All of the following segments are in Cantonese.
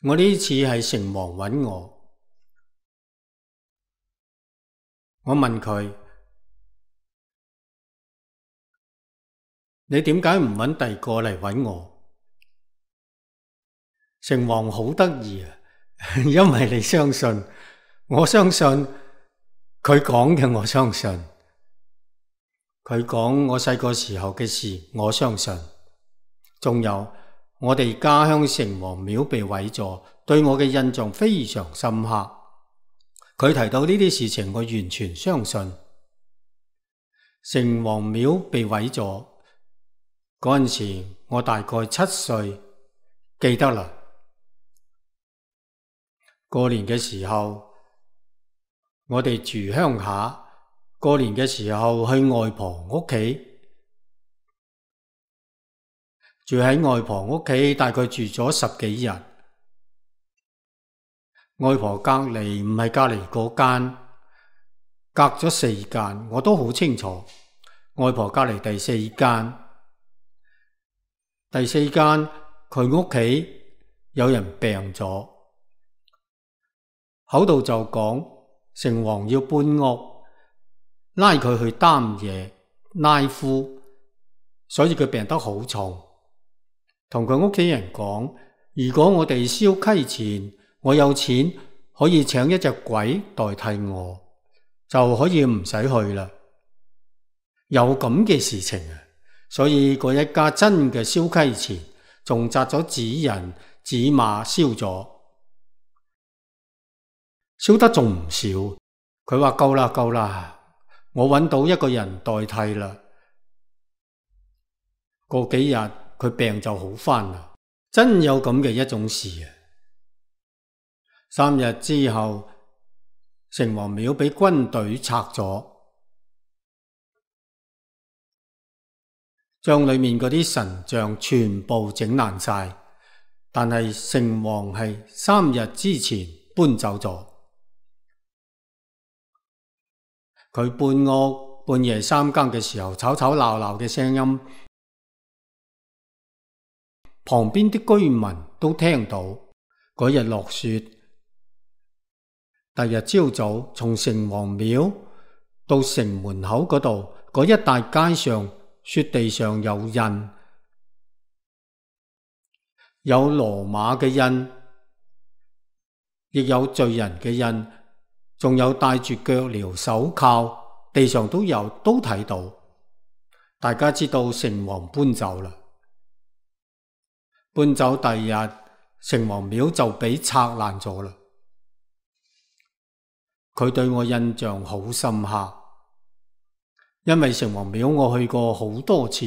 我呢次係城隍揾我問佢：你點解唔揾第二個嚟揾我？城隍好得意啊，因為你相信，我相信佢講嘅，我相信佢講我細個時候嘅事，我相信。仲有我哋家鄉城隍廟被毀咗，對我嘅印象非常深刻。佢提到呢啲事情，我完全相信。城隍廟被毀咗嗰陣時，我大概7歲，記得啦。過年嘅時候，我哋住鄉下，過年嘅時候去外婆屋企，住喺外婆屋企，大概住咗10幾日。外婆隔離唔係隔離嗰間，隔咗4間，我都好清楚。外婆隔離第4間，第4間佢屋企有人病咗，口度就講城隍要搬屋，拉佢去擔嘢拉夫，所以佢病得好重。同佢屋企人講，如果我哋燒溪錢，我有錢可以請一隻鬼代替我，就可以唔使去啦。有咁嘅事情啊，所以嗰一家真嘅燒溪錢，仲紮咗紙人紙馬燒咗，燒得仲唔少。佢話夠啦夠啦，我揾到一個人代替啦。過幾日佢病就好返啦，真有咁嘅一種事啊。3日之後，城隍廟俾軍隊拆咗，將裏面嗰啲神像全部整爛晒，但係城隍係3日之前搬走咗。佢搬屋，半夜3更嘅時候，吵吵鬧鬧嘅聲音，旁邊啲居民都聽到。嗰日落雪，第日朝早從城隍廟到城門口嗰度，嗰一帶街上雪地上有印，有羅馬嘅印，亦有罪人嘅印，仲有戴住腳鐐手銬，地上都有，都睇到。大家知道城隍搬走啦。搬走第二日，城隍廟就俾拆爛咗啦。佢對我印象好深刻，因為城隍廟我去過好多次，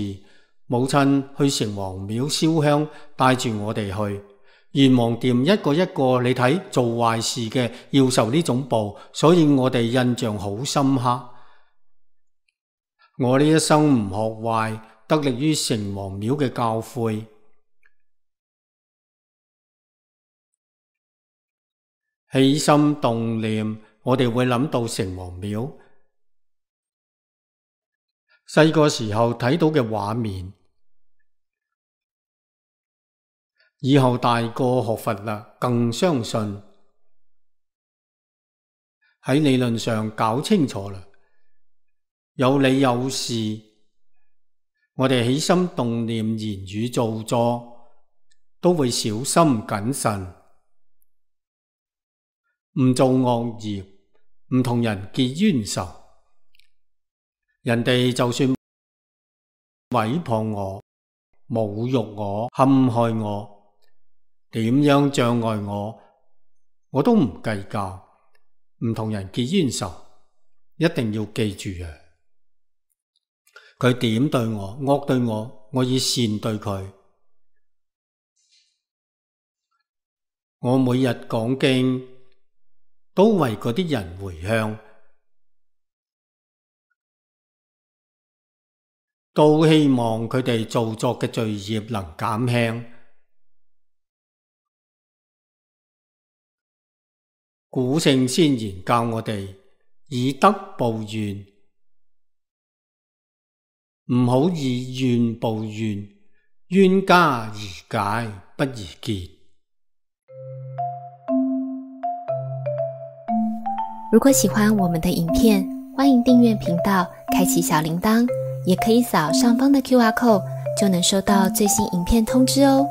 母親去城隍廟燒香，帶住我哋去。閻王殿一個一個，你睇做壞事嘅要受呢種報，所以我哋印象好深刻。我呢一生唔學壞，得力於城隍廟嘅教誨。起心動念，我哋會諗到城隍廟。細個時候睇到嘅畫面，以後大個學佛啦，更相信。喺理論上搞清楚啦，有理有事，我哋起心動念、言語造作，都會小心謹慎。唔做惡業，唔同人結冤仇。人哋就算毀謗我、侮辱我、陷害我，點樣障礙我，我都唔計較。唔同人結冤仇，一定要記住啊！佢點對我，惡對我，我以善對佢。我每日講經，都為嗰啲人回向，都希望佢哋做作嘅罪孽能減輕。古聖先賢教我哋以德報怨，唔好以怨報怨，冤家宜解不宜結。如果喜欢我们的影片，欢迎订阅频道，开启小铃铛，也可以扫上方的 QR code，就能收到最新影片通知哦。